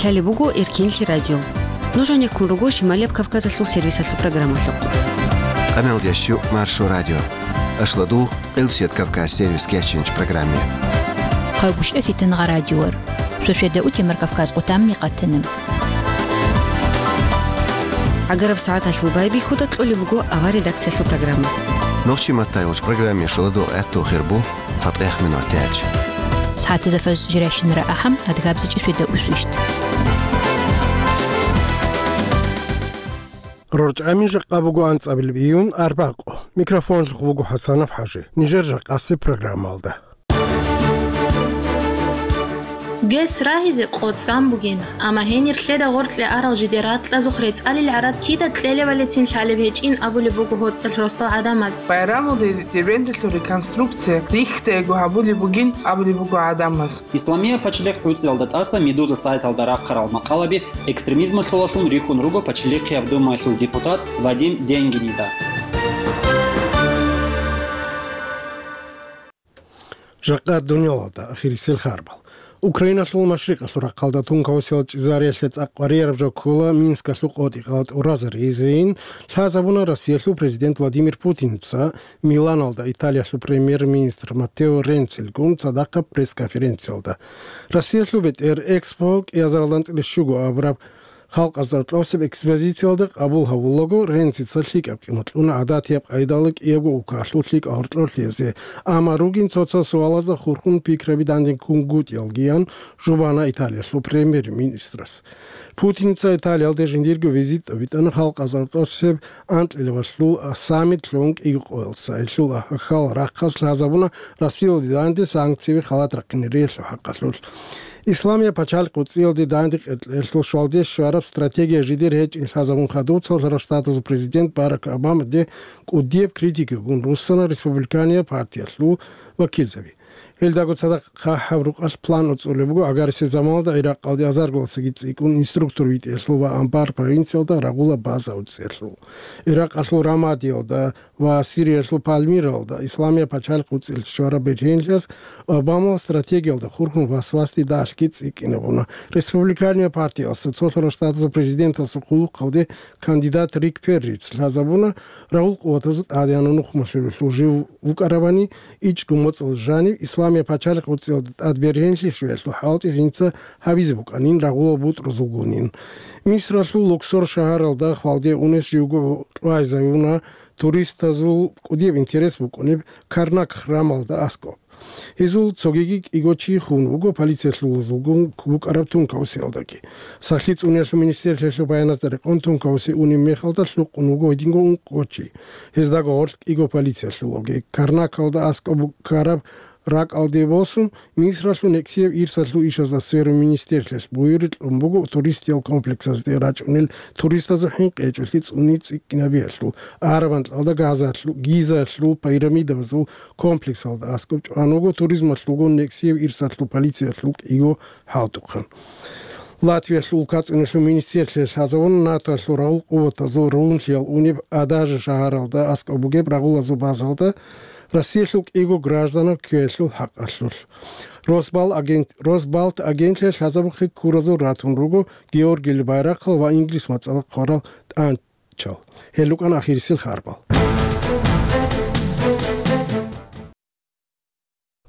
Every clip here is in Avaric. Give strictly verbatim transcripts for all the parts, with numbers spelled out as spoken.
Лъалеб буго Эркенлъи радио. Нуж гьанеккун руго Шималияб Кавказалъул сервисалъул программалъухъ. Къаналдящу Маршо радио. Ашладугъ Къилбсият Кавказ сервис кечинч программе. Хъайбушев Фитангъа радиор. Шошведа утемар Кавказ къутамни къатана. ГӀагараб сагӀаталъул байбихьуда кьолеб буго авар редакциялъул программа. Нохчи маттай вач программе шуладу гӀатту хирбу цатӀех минут тяч. СагӀатаза фаз жиращинара ахӀам адгабзичӀи шведа усвищт. РорчӀами жакъа буго анцӀабилеб июн арбакъо. Микрофонлъухъ вуго ХӀасанов ХӀажи. Нижер жакъаси программалда. ГЭС рагьизе къоцӀан бугин, амма гьенир лъеда гъоркье арал жидер ракьазухъ рецӀалил гӀарад кида кьелевалецин лъалеб гьечӀин абулеб буго гьоцӀалъ росдал гӀадамаз. Байрамулде дербенталъул реконструкция рихьдайго гьабулеб бугин абулеб буго гӀадамаз. Исламия пачалихъ гӀуцӀиялда тӀаса Медуза сайталда рахъарал макъалаби экстремизмалъулалъун рихьун руго Пачалихъияб Думаялъул депутат Вадим Денгинида. Жакъа дунялалда ахирисел харбал. Украиналъул машрикъалъул рахъалда тункаусел чӀезариялъе цӀакъ варияраб жо ккола Минскалъул къотӀи-къала тӀуразаризейин лъазабуна Россиялъул президент Владимир Путинца Миланалда Италиялъул премьер-министр Маттео Ренцилгун цадахъаб пресс-конференциялда. Россиялъул бетӀер Экспо кӀиазаралдан цӀилищуго абураб халкъазда кьосеб экспозициялда къабул гьавулаго, Ренцица лъикӀаб кӀино кьуна гӀадатияб къайдалда кӀиябго улкалъул лъикӀал гьоркьорлъизе, амма ругин цо-цо суалазда хурхун пикраби дандеккунгутӀиялгиян жубана Италиялъул премьер-министрас. Путинца Италиялде жиндирго визит тӀобитӀана халкъазда кьосеб анкьилабалъул саммит лъун кӀиго къоялдаса. Гьелъул ахӀахьал рахъалъ лъазабуна Россиялде данде санкцияби халат рахъинариялъул хӀакъалъулъ. Исламия пачалихъ гӀуцӀиялде данде къеркьелъул щвалде щвараб стратегия жидер гьечӀин лъазабун хадуб Цолъарал Штатазул президент Барак Обамаде кӀудияб критикагун руссана республиканияб партиялъул вакилзаби. Гьелдаго цадахъ хъахӀаб рукъалъ план гӀуцӀулеб буго гӀагарисеб заманалда Иракъалде азарго ласаги цӀикӀкӀун инструктор витӀиялъул ва Анбар провинциялда рагъула база гӀуцӀиялъул. Иракъалъул Рамадиялда ва Сириялъул Пальмиралда Исламия пачалихъ гӀуцӀиялъе щвараб бергьенлъиялъ Обамала стратегиялда хурхун васвасде далъги цӀикӀкӀинабуна. Республиканияб партиялъа Цолъарал Штатазул президентасул хъулухъалде кандидат Рик Перрица лъазабуна, рагъул къуватазул тӀадегӀанав нухмалъулелъул жив вукӀарабани, ичӀго моцӀалда жанив Исламия пачалихъ гӀуцӀиялда тӀад бергьенлъи щвеялъул хӀалтӀи жинца гьабизе букӀанин рагъулал бутӀрузулгунин. Мисралъул Луксор шагьаралда хвалде унес живго кьвайзавуна туристазул кӀудияб интерес букӀунеб Карнак храмалда аскӀоб. Гьезул цогиги кӀиго чи хун вуго полициялъулазулгун букӀараб тункаусиялдаги. Сахлъи цӀуниялъул министрлъиялъул баяназда рекъон тункауси унеб мехалда лъукъун вуго гьединго ункъго чи. Гьездаго гъорлъ кӀиго полициялъулаги. Карнакалда аскӀоб букӀараб ракӀалде босун, Мисралъул нексияб ирсалъул ишазда сверун министрлъиялъ буюрил кьун буго туристиял комплексазде рачӀунел туристазул хӀинкъи гьечӀолъи цӀуни цӀикӀкӀинабиялъул, Араб анкьалда Газалъу-, Гизалъул пирамидабазул комплексалда аскӀоб чӀван вуго туризмалъулгун нексияб ирсалъул полициялъул кӀиго хӀалтӀухъан. Латвиялъул улкацӀуналъул министрлъиялъ лъазабуна НАТОялъул рагъул къуватазул рагьунлъиялъ унеб Адажа шагьаралда аскӀоб бугеб рагъулазул базалда Россиялъул кӀиго гражданав ккеялъул хӀакъалъулъ. Росбал агент-, Росбалт агентлъиялъ лъазабухъе ккуразул ратун руго Георгиялъул байрахъал ва Инглис мацӀалда хъварал тӀанчал. Гьел рукӀана ахирисел харбал.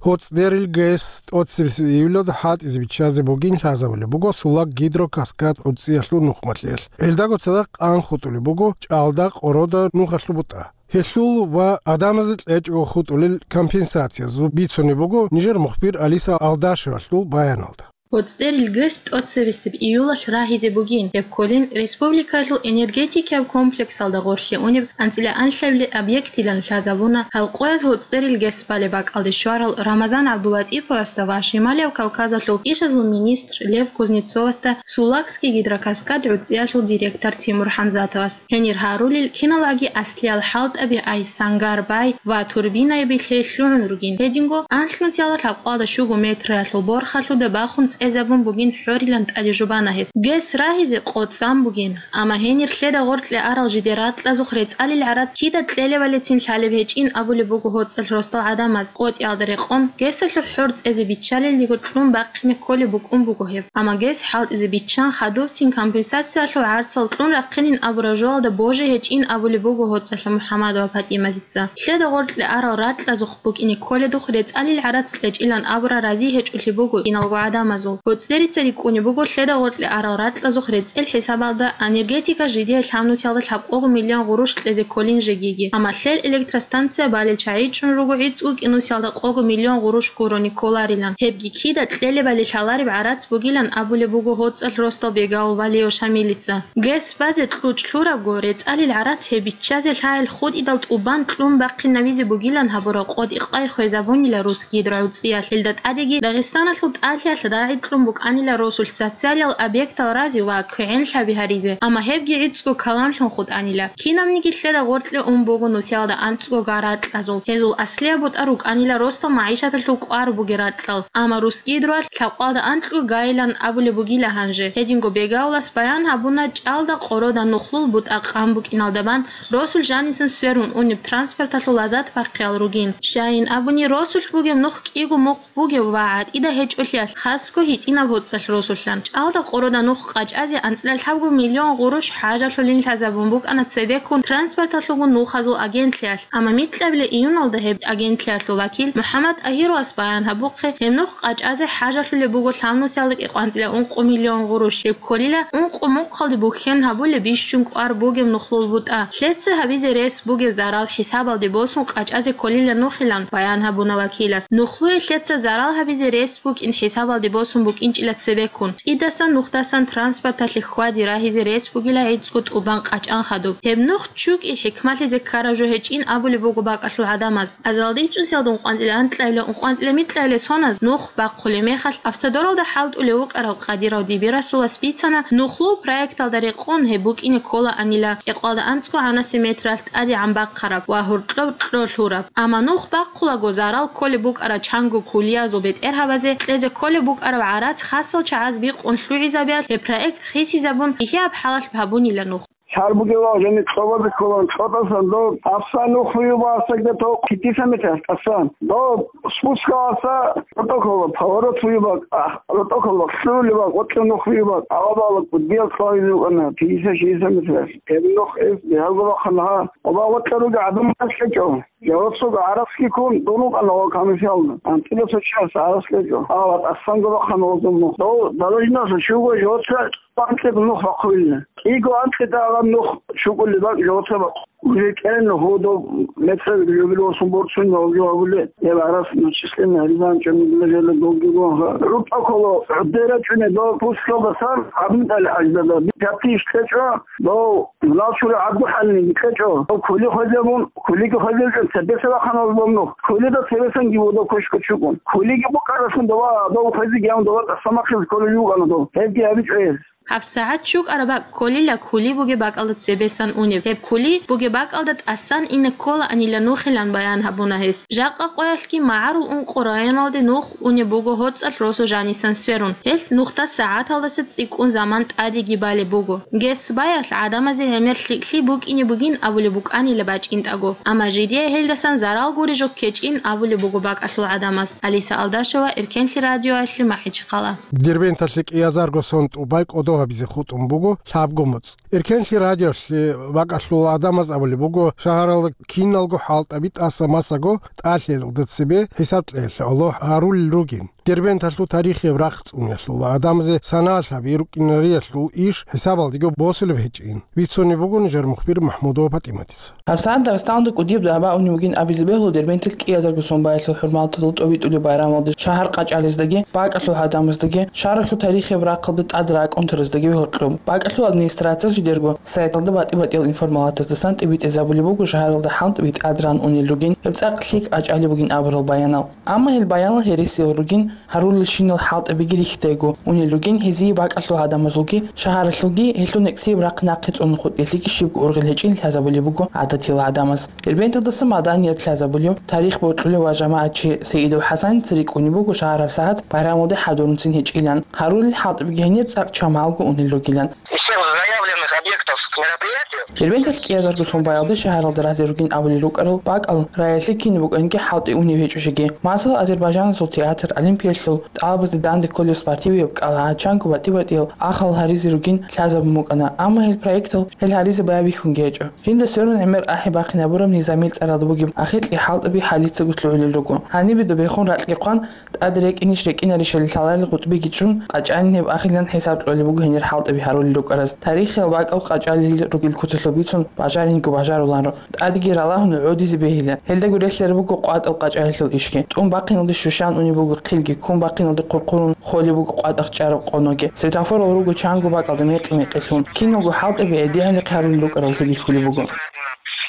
ГьоцӀдерил ГЭС тӀоцебесеб июлалда хӀалтӀизе биччазе бугин лъазабулеб буго Сулаг гидрокаскад гӀуцӀиялъул нухмалъиялъ. Гьелдаго цадахъ къан хутӀулеб буго ЧӀалда, Къорода нухалъул бутӀа. Гьелъул ва гӀадамазда кьечӀого хутӀулел компенсациязул бицунеб буго нижер мухбир Алиса Алдашевалъул баяналда. ГьоцӀдерил ГЭС тӀоцебесеб июлалъ рагьизе бугин, гьеб кколин республикалъул энергетикияб комплексалда гъорлъе унеб анцӀила анлъабилеб объектилан лъазабуна гьалкъояз ГьоцӀдерил ГЭС балеб бакӀалде щварал Рамазан ГӀабдулатӀиповасда ва Шималияб Кавказалъул ишазул министр Лев Кузнецовасда Сулагский гидрокаскад гӀуцӀиялъул директор Тимур ХӀамзатовас. Гьенир гьарулел киналги аслиял хӀалтӀаби, айс, сангар, бай ва турбинайби лъелъугӀун ругин. Гьединго анлънусиялда лъабкъоялда щуго метралъул борхалъуда бахун цӀа тӀезабун бугин хӀорилан тӀаде жубана гьес. Гес рагьизе къо цӀан бугин, амма гьенир лъеда гъоркье арал жиде ракьазухъ рецӀалил гӀарац кида кьелебалецин лъалеб гьечӀин абулеб буго гьоцӀалъ росдал гӀадамаз. КъотӀиялда рекъон, гесалъул хӀор цӀезе биччалелдего кьун бахъине кколеб букӀун буго гьеб. Амма гес хӀалтӀизе биччан хадубцин компенсациялъул гӀарцал кьун рахъинин абураб жоялда боже гьечӀин абулеб буго гьоцӀалъ МухӀаммадова ПатӀиматица. Лъеда гъоркье арал ракьазухъ букӀине кколедухъ рецӀалил гӀарац кьечӀилан абура рази гьечӀолъи буго киналго гӀадамазул. ГьоцӀерица рикӀкӀунеб буго лъеда гъоркье арал ракьазухъ рецӀел хӀисабалда энергетика жидее лъабнусиялда лъабкъого миллион гъурущ кьезе кколин жегиги, амма лъел электростанция балел чагӀи чӀун руго гӀицӀго кӀинусиялда къого миллион гъурущ гурони кколарилан. Гьебги кида кьелебали лъалареб гӀарац бугилан абулеб буго гьоцӀалъ росдал Бегаул Валиев Шамилица. Гес базе кьучӀ лъурабго, рецӀалил гӀарац гьеб биччазе лъагӀел хутӀидал тӀубан кьун бахъинавизе бугилан гьабураб къотӀи-къай хвезабунила Русгидро гӀуцӀиялъ. Гьелда тӀадеги Дагъистаналъул тӀалъиялъ рагӀи кьун букӀанила росулъ социалиял объектал разе ва квегӀенлъаби гьаризе, амма гьебги гӀицӀго каламлъун хутӀанила. Кинабниги лъеда гъоркье ун буго нусиялда анцӀго гар ракьазул, гьезул аслияб бутӀа рукӀанила росдал магӀишаталъул кӀвар бугеб ракьал. Амма Русгидроялъ лъабкъалда анкьго гайилан абулеб бугила гьанже. Гьединго Бегаулас баян гьабуна чӀалда къорода нухлул бутӀа къан букӀиналда бан росулъ жанисан сверун унеб транспорталъул лазат бахъиял ругин. Щайин абуни, росулъ бугеб нух кӀиго мухъ бугев ва гӀатӀида гьечӀолъиялъ хасго гьитӀинаб гьоцӀалъ росулъан. ЧӀалда къорода нух къачӀазе анцӀила лъабго миллион гъурущ хӀажалъулин лъазабун букӀана цебеккун транспорталъулгун нухазул агентлъиялъ. Амма микьабила июналда гьеб агентлъиялъул вакил МухӀаммад ТӀагьировас баян гьабухъе, гьеб нух къачӀазе хӀажалъулеб буго лъабнусиялда кӀикъванцӀила ункъо миллион гъурущ. Гьеб кколила ункъо мухъалде бухьен гьабулеб бищун кӀвар бугеб нухлул бутӀа. Лъеца гьабизе рес бугеб зарал хӀисабалде босун къачӀазе кколила нухилан, баян гьабуна вакилас. Нухлуе лъеца зарал гьабизе рес букӀин хӀисабалде босун букӀинчӀила цебеккун. ЦӀидасан нухдасан транспорталъе хьвади рагьизе рес бугила гӀицӀго тӀубан къачӀан хадуб. Гьеб нух чукӀи хӀикмалъизе ккараб жо гьечӀин абулеб буго бакӀалъул гӀадамаз. Азалда ичӀнусиялда ункъванцӀила анкьабила, ункъванцӀила микьабила соназ нух бахъулеб мехалъ, Автодоралда хӀалтӀулев вукӀарав Къадиров Дибирасулас бицана, нухлул проекталда рекъон гьеб букӀине кколаанила кӀикъвалда анцӀго гӀанаси метралъ тӀадегӀан бахъараб ва гьоркьоб кьо лъураб. Амма нух бахъулаго зарал кколеб букӀараб чанго кулиязул бетӀергьабазе кьезе кколеб букӀараб гӀарац хасал чагӀаз бикъун лъугӀизабиялъ гьеб проект хисизабун, кӀиаб хӀалалъ гьабунила нух. Лъар бугеб ва гьениб кьобазе кколан кьотӀасан дов, тӀасан нух вуюб ва сагда тов китиса метралъ тӀасан. Дов спускаласа ротӀоколо поворот вуюб ва, а, ротӀоколо лъугьулеб ва гъоркье нух вуюб ва, гьавабала кӀудиял кьвайзе вукӀана, пятьдесят шестьдесят метралъ. Гьеб нух эс бигьаго бахъана гьа. Оба гъоркье ругел гӀадамал кьечӀо. Жавабсуга гӀарац ккун дун вукӀана ва комиссиялда. АнцӀила цо чияс гӀарац кьечӀо. Гьава тӀасанго бахъана гъозул нух. Дов далажинаса щуго жавабса анкьида нух бахъулила. КӀиго анкьида гьаб нух чукӀулеб бакӀ жавабса бахъ. Уже кӀен гьудо метраб жубил восун борцун ялги гьабуле. Гьеб гӀарац начислен гьаризан чӀамигла жала долги гонха. РутӀа ккола гӀодера чӀуне дов пускалдасан гьабун тӀали гьаждада. Пятиш кьечӀо, дов лалчура гӀадгу хӀалниги кьечӀо. Дов кули хвезабун, кулиги хвезабичӀун цебеса бахъана гьаб нух. Кулида цебесанги вуго кочко чукӀун. Кулиги букӀаралъун дова, дов хвезиги гьавун дова тӀасамахъизе кколел вукӀана дов. Гьебги гьабичӀо гьез. ГьабсагӀат чукӀараб бакӀ кколила кули бугеб бакӀалда цебесан унеб. Гьеб кули бугеб бакӀалда тӀасан ине кколаанила нухилан баян гьабуна гьес. Жакъа къоялъги магӀарул ункъо районалде нух унеб буго гьоцӀалъ росу жанисан сверун. Гьелъ нухда сагӀаталдаса цӀикӀкӀун заман тӀадеги балеб буго. Гес баялъ гӀадамазе гӀемер лъикӀлъи букӀине бугин абулеб букӀанила бачӀинтӀаго. Амма жидее гьелдасан зарал гури жо ккечӀин абулеб буго бакӀалъул гӀадамаз. Алиса Алдашева, Эркенлъи радиоялъе, МахӀичхъала. Дербенталъе кӀиазарго сон тӀубай кӀодо гьабизе хутӀун буго лъабго моцӀ. Эркенлъи радиолъе бакӀалъул гӀадамаз абулеб буго, шагьаралда киналго хӀалтӀаби тӀаса-масаго тӀалъиялда цебе хӀисаб кьеялъе гӀоло гьарулел ругин. Дербенталъул тарихияб рахъ цӀуниялъул ва гӀадамазе санаялъ гьабизе рукӀинариялъул иш хӀисабалдего босулеб гьечӀин. Бицунеб буго нижер мухбир МахӀмудова ПатӀиматица. ГьабсагӀат Дагъистаналда кӀудияб дагӀба унеб бугин абизе бегьула Дербенталъ кӀиазарго сон баялъул хӀурмалдалъ тӀобитӀулеб байрамалде шагьар къачӀализдеги, бакӀалъул гӀадамаздеги, шагьаралъул тарихияб рахъалда тӀад ракӀунтараздаги гьоркьоб. БакӀалъул администрациялъ жидерго сайталда батӀи-батӀиял информалатаздасан тӀибитӀизабулеб буго шагьаралда хӀалтӀаби тӀад ран унел ругин, гьеб цӀакъ лъикӀ къачӀалеб бугин абурал баянал. Амма гьел баянал гьересиял ругин, Гьарулелщинал хӀалтӀабиги рихьдайго унел ругин, гьезие бакӀалъул гӀадамазулги, шагьаралъулги гьелъул некӀсияб рахъ нахъе цӀунун хутӀиялъеги щибго ургъел гьечӀин лъазабулеб буго гӀадатиял гӀадамаз. Дербенталдаса Маданиялде лъазабулев, тарих бокьулев ва жамагӀатчи Саидов ХӀасаница рикӀкӀунеб буго шагьар гьабсагӀат байрамалде хӀадурунцин гьечӀилан. Гьарулел хӀалтӀабиги гьенир цӀакъ чамалго унел ругилан. Из всех заявленных объектов к мероприятию. Дербенталъ кӀиязарго сон баялде шагьаралда разе ругин абулел рукӀарал бакӀал раялъе кинаб букӀанги хӀалтӀи унев гьечӀо жеги. Масала, Азербайжанасул театр, Олимпиялъул тӀалабазде данде кколев спортивияб кӀал, гьачамго батӀи-батӀиял ахал гьаризе ругин лъазабун букӀана, амма гьел проектал гьел гьаризе байбихьунги гьечӀо. Жинда сверун гӀемер ахӀи бахъинабураб низамил цӀаралда бугеб ахикьи хӀалтӀаби хӀалицаго лъугӀулел руго. Гьанибе добехун ракьги хъван, тӀад рекӀинищ рекӀинаре шалил лъаларел къутӀбиги чӀун, къачӀанин гьеб ахилан хӀисаб кьолеб буго гьенир хӀалтӀаби гьарулел рукӀараз. Тарихиял бакӀал къачӀалел ругел куцалъул бицун бажаринго бажаруларо. ТӀадеги ралагьун гӀодизе бегьила. Гьелдаго релълъараб буго къватӀал къачӀалелъул ишги. ТӀун бахъиналде щущан унеб буго хъилги, ккун бахъиналде хъурхъурун холеб буго къватӀахъ чӀараб къоноги. Светофорал руго чанго бакӀалда мекъи-мекъилъун. Киналго хӀалтӀаби гӀедегӀанихъе гьарулел рукӀараллъи бихьулеб буго.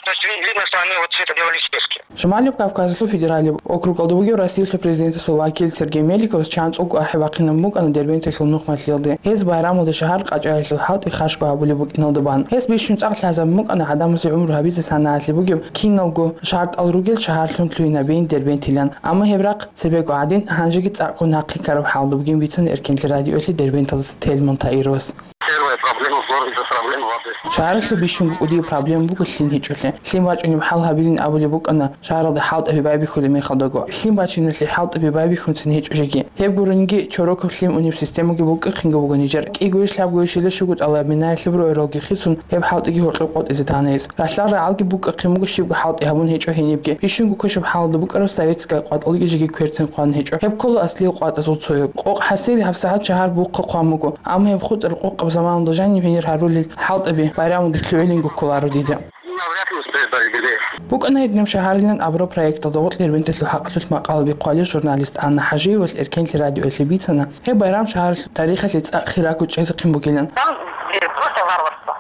То есть вид-, видно, что они вот все это делали в спешке. Шималияб Кавказалъул федералияб округалда бугев Россиялъул президентасул вакил Сергей Меликовас чанцӀулго ахӀи бахъинабун букӀана Дербенталъул нухмалъиялде. Гьез байрамалда шагьар къачӀалелъул хӀалтӀи хашго гьабулеб букӀиналда бан. Гьес бищун цӀакъ лъазабун букӀана гӀадамазе гӀумру гьабизе санагӀалъи бугеб киналго шартӀал ругел шагьарлъун лъугьинабейин Дербент йилан. Амма гьеб рахъ цебего гӀадин, гьанжеги цӀакъго нахъе ккараб хӀалда бугин бицана Эркенлъи радиоялъе Дербенталдаса Тельман Таировас. Первая проблема в городе — это проблема воды. Шагьаралъул бищунго кӀудияб проблема буго лъим гьечӀолъи. Лъим бачӀунеб хӀал гьабилин абулеб букӀана шагьаралда хӀалтӀаби байбихьулеб мехалдаго. Лъим бачиналъе хӀалтӀаби байбихьунцин гьечӀо жеги. Гьеб гурониги чорокаб лъим унеб системаги букӀахъинго бугони жер. КӀигойищ лъабгойищ шуго тӀалаб минаялъе буро гӀуралги хицун, гьеб хӀалтӀиги гьоркьоб къотӀизе тана гьес. Ралъдал рагӀалги букӀахъин буго щибго хӀалтӀи гьабун гьечӀо гьенибги. Бищунго квешаб хӀалда букӀараб советская къватӀалги жеги кверцин хъван гьечӀо. Гьеб ккола аслиял къватӀазул цояб. Къокъ хӀасил гьабсагӀат шагьар бухъа хъван буго. Амма гьеб хутӀараб къокъаб заманалда жаниб гьенир гьарулел хӀалтӀаби байрамалде лъугӀилинго кколаро дида. Ну, вряд ли успеет до юбилея. БукӀана гьединаб шагьарилан абураб проекталда гъоркь Дербенталъул хӀакъалъулъ макъалаби хъвалев журналист Анна ХӀажиевалъ Эркенлъи радиоялъе бицана, гьеб байрам шагьаралъул тарихалъе цӀакъ хиракӀун чӀезехъин бугилан. Там, где просто варварство.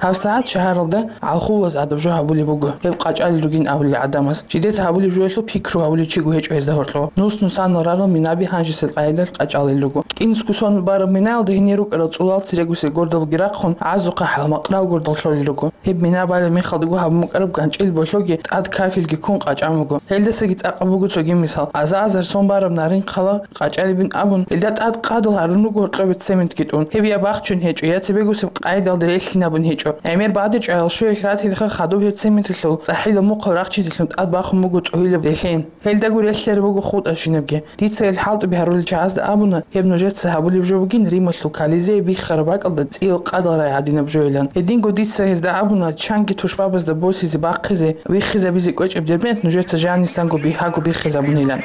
ГьабсагӀат шагьаралда гӀалхуллаз гӀадаб жо гьабулеб буго, гьеб къачӀалел ругин абулел гӀадамаз. Жидеца гьабулеб жоялъул пикру гьабулев чиго гьечӀо гьезда гьоркьоб. Нус-нусанал рарал минаби гьанжесел къайдалъ къачӀалел руго. КӀинцго сон бараб минаялда гьенир рукӀарал цӀулал церегусе гордалги рахъун, гӀазухъа хӀалмакърал гордал лъолел руго. Гьеб мина балеб мехалдаго гьабун букӀараб ганчӀил болъоги тӀад кафелги ккун къачӀан буго. Гьелдасаги цӀакъаб буго цоги мисал. Аза-азар сон бараб Нарин хъала къачӀалебин абун, гьелда тӀад къадал гьарун руго гьоркьобе цементги тӀун. Гьеб я бахчун гьечӀо, я цебегусеб къайдалда релълъинабун гьечӀо. ГӀемер бадиб чӀваялъ щуялъ ратилха хадуб гьеб цементалъул цӀахӀилаб мухъал рахчизелъун тӀад бахун буго цӀогьилаб релълъин. Гьелдаго релълъараб буго хутӀарабщинабги. Дица гьел хӀалтӀаби гьарулел чагӀазда абуна, гьеб нужеца гьабулеб жо бугин Рималъул Колизей биххараб бакӀалда цӀиял къадал рай гӀадинаб жоилан. Гьединго дица гьезда абуна, чанги тушбабазда босизе бахъизе, виххизабизе кӀвечӀеб Дербент нужеца жанисанго бигьаго биххизабунилан.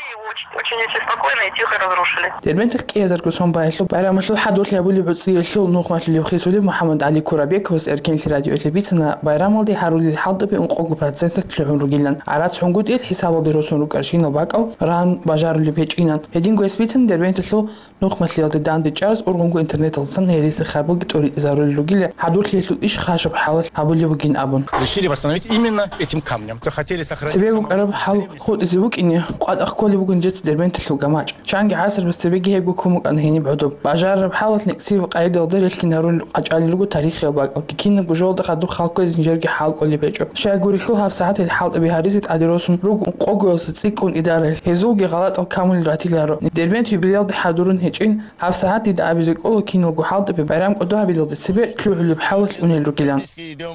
Очень, очень спокойно и тихо разрушили. Дербенталъ кӀиязарго сон баялъул байрамалъул хӀадурлъи гьабулеб гӀуцӀиялъул нухмалъулев хисулев МухӀаммад ГӀали Курабековас Эркенлъи радиоялъе бицана, байрамалде гьарулел хӀалтӀаби ункъого проценталъ лъугӀун ругилан. ГӀарац гьунгутӀиялъ хӀисабалде росун рукӀарщинал бакӀал ран бажарулеб гьечӀинан. Гьединго гьес бицана Дербенталъул нухмалъиялде данде чӀарас ургъунго интернеталдасан гьереси харбалги тӀоритӀизарулел ругила, хӀадурлъиялъул иш хашаб хӀалалъ гьабулеб бугин абун. Решили восстановить именно этим камнем. То хотели сохранить. Цебе саму букӀараб хӀал хутӀизе букӀине, къватӀахъ кколеб буго нижеца Дербенталъул гамачӀ. Чанги гӀасрабаз цебеги гьебго ккун букӀана гьениб гӀодоб. Бажарараб хӀалалъ некӀсияб къайдалда релълъин гьарун къачӀалел руго тарихиял бакӀалги, кинабго жоялда хадуб халкъ кквезе нижерги хӀал кӀолеб гьечӀо. Щайгурелъул гьабсагӀат гьел хӀалтӀаби гьаризе тӀаде росун руго ункъогоялдаса цӀикӀкӀун идарал, гьезулги гъалатӀал камулел ратиларо. Дербент юбилеялде хӀадурун гьечӀин, гьабсагӀат дида абизе кӀола киналго хӀалтӀаби байрам кӀодо гьабилалде цебе лъугӀулеб хӀалалъ унел ругилан.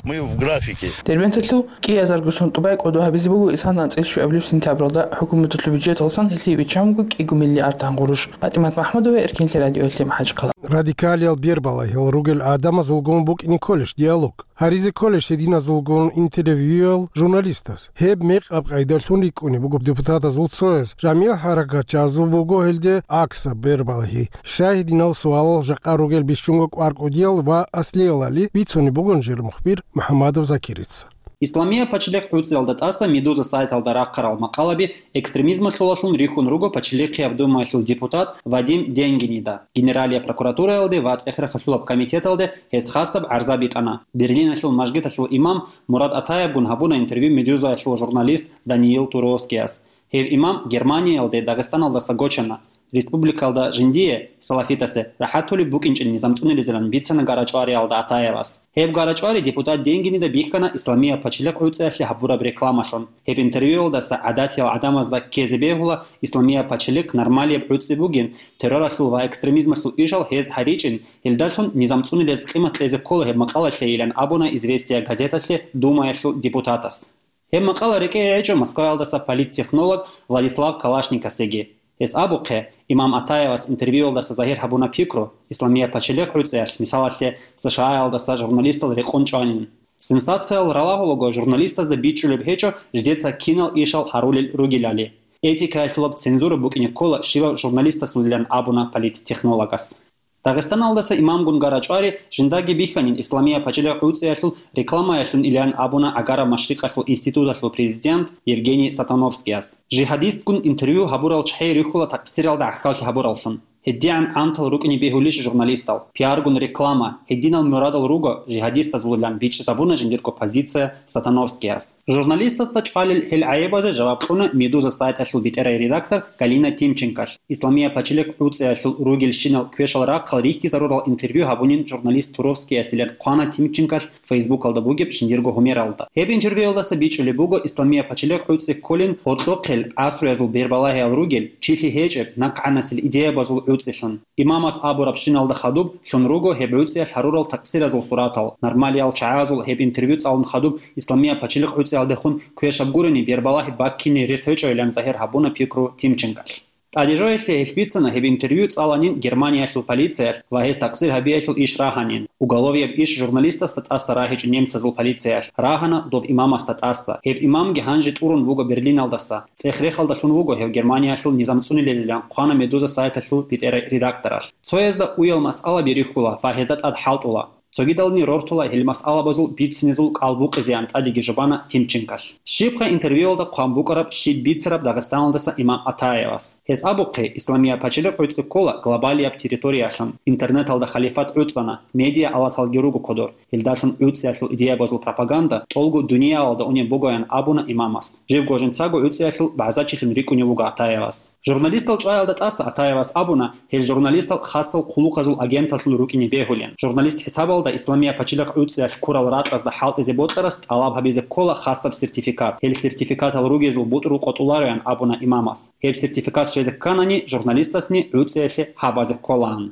Мы в графике. Дербенталъул кӀиязарго сон тӀубай кӀодо гьабизе буго исана анцӀила щуабилеб сентябралда хӀукуматалъул бюджеталдасан гьелъие биччан буго кӀиго миллиард гьангъурущ. ПатӀимат МахӀмудова, Эркенлъи радиоялъе, МахӀачхъала. Радикалиял бербалайил ругел гӀадамазулгун букӀине кколищ диалог? Гьаризе кколищ гьединазулгун интервьюял журналистаз? Гьеб мекъаб къайдалъун рикӀкӀунеб буго депутатазул цояз. Жамигьал хӀаракатчагьазул буго гьелде аксаб бербалагьи. Щай гьединал суалал жакъа ругел бищунго кӀвар кӀудиял ва аслиялали бицунеб бугон жер мухбир МухӀамадов Закирица. Исламия пачалихъ гӀуцӀиялда тӀаса Медуза сайталда рахъарал макъалаби экстремизмалъулалъун рихьун руго Пачалихъияб Думаялъул депутат Вадим Денгинида. Генералияб прокуратураялде ва ЦӀехерахъалъулаб комитеталде гьес хасаб гӀарза битӀана. Берлиналъул мажгиталъул имам Мурад Атаевгун гьабуна интервью Медузаялъул журналист Даниил Туровскияс. Гьев имам Германиялде Дагъистаналдаса гочана. Республикалда жиндие, салафитасе, рахӀатулеб букӀинчӀин низам цӀунилезилан бицана ГарачӀвариялда Атаевас. Гьеб ГарачӀвари депутат Денгинида бихьана Исламия пачелихъ гӀуцӀиялъе гьабураб рекламалъун. Гьеб интервьюялдаса гӀадатиял гӀадамазда ккезе бегьула, Исламия пачелихъ нормалияб гӀуцӀи бугин, терроралъул ва экстремизмалъул ишал гьез гьаричӀин, гьелдалъун низам цӀунилез къимат кьезе ккола гьеб макъалалъейилан абуна «Известия» газеталъе Думаялъул депутатас. Гьеб макъала рекӀее гьечӀо Москваялдаса политтехнолог Владислав Калашникасеги. Гьес абухъе, имам Атаевас интервьюялдаса загьир гьабуна пикру, Исламия пачелихъ гӀуцӀиялъ, мисалалъе, США-ялдаса журналистал рекъон чӀванин. Сенсациял ралагьулаго журналистазда бичӀчӀулеб гьечӀо жидеца кинал ишал гьарулел ругелали. Этикаялъулаб цензура букӀине ккола щивав журналистасулилан абуна политтехнологас. Дагъистаналдаса имамгун ГарачӀвари жиндаги бихьанин Исламия пачелихъ гӀуцӀиялъул рекламаялъунилан абуна Агара Машрикъалъул институталъул президент Евгений Сатановскияс. Жигьадистгун интервью гьабурал чагӀи рихьула такъсиралда гӀахьаллъи гьабураллъун. ГьедигӀан гӀантал рукӀине бегьулищ журналистал? Пиаргун реклама, гьединал мурадал руго жигьадистазулилан бичӀчӀизабуна жиндирго позиция Сатановскияс. Журналистасда чӀвалел гьел гӀайибазе жаваб кьуна Медуза сайталъул бетӀерай редактор Галина Тимченколъ. Исламия пачелихъ гӀуцӀиялъул ругелщинал квешал рахъал рихьизарурал интервью гьабунин журналист Туровскиясилан хъвана Тимченколъ Фейсбукалда бугеб жиндирго гьумералда. Гьеб интервьюялдаса бичӀчӀулеб буго, Исламия пачелихъ гӀуцӀи кколин гьоркьохъел гӀасруязул бербалагьиял ругел, чилъи гьечӀеб, нахъгӀанасел идеябазул гӀуцӀилъун. Имамас абурабщиналда хадуб лъун руго гьеб гӀуцӀиялъ гьарурал такъсиразул суратал. Нормалиял чагӀазул гьеб интервью цӀалун хадуб Исламия пачелихъ гӀуцӀиялдехун квешаб гурони бербалагьи баккине рес гьечӀойилан загьир гьабуна пикру Тимченколъ. ТӀадежояхъе гьелъ бицана гьеб интервью цӀаланин Германиялъул полициялъ ва гьес такъсир гьабиялъул иш рагьанин, уголовияб иш журналистасда тӀаса рагьичӀо немцазул полициялъ, рагьана дов имамасда тӀаса. Гьев имамги гьанже тӀурун вуго Берлиналдаса. ЦӀех-рехалдалъун вуго гьев Германиялъул низам цӀунилелилан хъвана Медуза сайталъул бетӀерай редакторалъ. Цоязда уял масъалаби рихьула ва гьезда тӀад хӀалтӀула. Цогидални рортула гьел масъалабазул бицинезул кӀал букъизеян тӀадеги жубана Тимченколъ. Щибха интервьюялда хъван букӀараб щиб бицараб Дагъистаналдаса имам Атаевас? Гьес абухъе, Исламия пачелихъ гӀуцӀи ккола глобалияб территориялъун, интернеталда халифат гӀуцӀана, медиа алаталги руго кодор, гьелдалъун гӀуцӀиялъул идеябазул пропаганда тӀолго дуниялалда унеб бугоян абуна имамас. Живго жинцаго гӀуцӀиялъул багӀзачилъун рикӀкӀунев вуго Атаевас. Журналистал чӀваялда тӀаса Атаевас абуна, гьел журналистал хасал хъулухъазул агенталъул рукӀине бегьулин. Журналист хӀисабалда Исламия пачелихъ гӀуцӀиялъ ккурал ракьазда хӀалтӀизе бокьарас тӀалаб гьабизе ккола хасаб сертификат. Гьел сертификатал ругезул бутӀрул къотӀулароян абуна имамас. Гьеб сертификат щвезе кканани, журналистасни гӀуцӀиялъе гьабазе кколаан.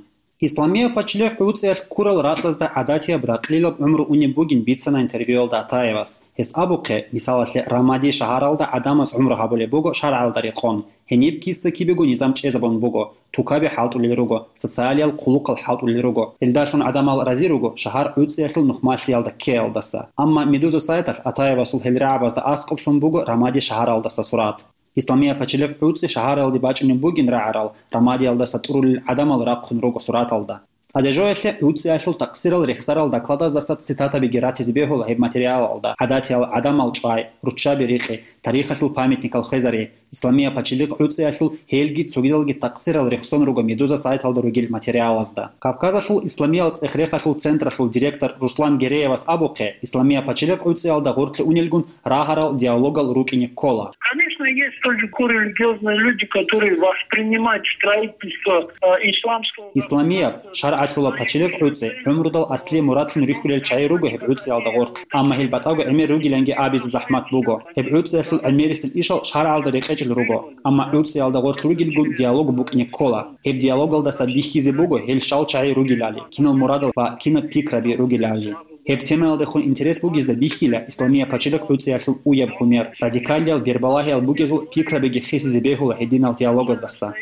Исламия пачелихъ гӀуцӀиялъ ккурал ракьазда гӀадатияб ракълилаб гӀумру унеб бугин бицана интервьюялда Атаевас. Гьес абухъе, мисалалъе, Рамади шагьаралда гӀадамаз гӀумру гьабулеб буго шаргӀалда рекъон. Гьениб киса-кибего низам чӀезабун буго, тукаби хӀалтӀулел руго, социалиял хъулухъал хӀалтӀулел руго. Гьелдалъун гӀадамал рази руго шагьар гӀуцӀиялъул нухмалъиялда ккеялдаса. Амма Медуза сайталъ Атаевасул гьел рагӀабазда аскӀоблъун буго Рамади шагьаралдаса сурат. Исламия пачелихъ гӀуцӀи шагьаралде бачӀунеб бугин рагӀарал, Рамадиялдаса тӀурулел гӀадамал рахъун руго сураталда. ТӀадежоялъе гӀуцӀиялъул такъсирал рехсарал докладаздаса цитатабиги ратизе бегьула гьеб материалалда: гӀадатиял гӀадамал чӀвай, руччаби рикъи, тарихалъул памятникал хвезари, Исламия пачелихъ гӀуцӀиялъул гьелги цогидалги такъсирал рехсон руго Медуза сайталда ругел материалазда. Кавказалъул исламиял цӀех-рехалъул централъул директор Руслан Гереевас абухъе, Исламия пачелихъ гӀуцӀиялда гъоркье унелгун рагьарал диалогал рукӀине ккола. Конечно, есть тоже корелигиозные люди, которые воспринимают строительство, э, исламского Исламияб, государства шаргӀалъула пачелихъ гӀуцӀи гӀумрудал аслияб мурадлъун рихьулел чагӀи руго гьеб гӀуцӀиялда гъоркь, амма гьел батӀаго гӀемер ругиланги абизе захӀмат буго. Гьеб гӀуцӀиялъул гӀемерисел ишал шаргӀалда рекъечӀел руго, амма гӀуцӀиялда гъоркь ругелгун диалог букӀине ккола. Гьеб диалогалдаса бихьизе буго гьел щал чагӀи ругелали, кинал мурадал ва кинаб пикраби ругелали. Гьеб темаялдехун интерес бугезда бихьила Исламия пачелихъ гӀуцӀиялъул уяб гьумер, радикалиял бербалагьиял бугезул пикрабиги хисизе бегьула гьединал диалогаздаса.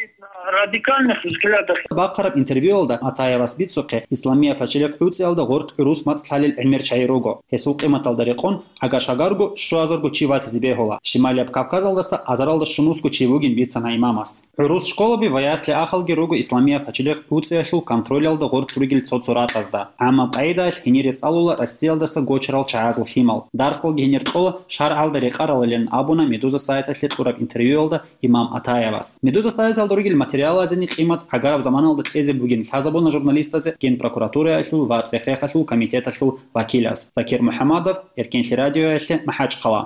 Радикальных взглядах. Бахъараб интервьюялда Атаевас бицухъе, Исламия пачелихъ гӀуцӀиялда гъоркь гӀурус мацӀ лъалел гӀемер чагӀи руго. Гьесул къиматалда рекъон, агар-шагарго, щуазарго чи ватизе бегьула. Шималияб Кавказалдаса азаралда щунусго чи вугин бицана имамас. ГӀурус школаби ва ясли-ахалги руго Исламия пачелихъ гӀуцӀиялъул контролялда гъоркь ругел цо-цо ракьазда. ГӀаммаб къагӀидаялъ гьенире цӀалула Россиялдаса гочарал чагӀазул лъимал. Дарсалги гьенир кьола шаргӀалда рекъаралилан абуна Медуза сайталъе кьураб интервьюялда имам Атаевас. Медуза сайталда ругел материалазени къимат гӀагараб заманалда кьезе бугин лъазабуна журналистазе Генпрокуратураялъул ва цӀех-рехалъул комитеталъул вакилас. Закир МухӀаммадов, Эркенлъи радиоялъе, МахӀачхъала.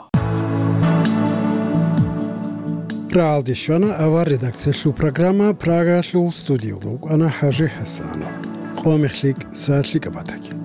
Рагьалде щвана авар редакциялъул программа, Прагаялъул студиялда вукӀана ХӀажи ХӀасанов. Къо мехлъи, са лъикӀаб батаги.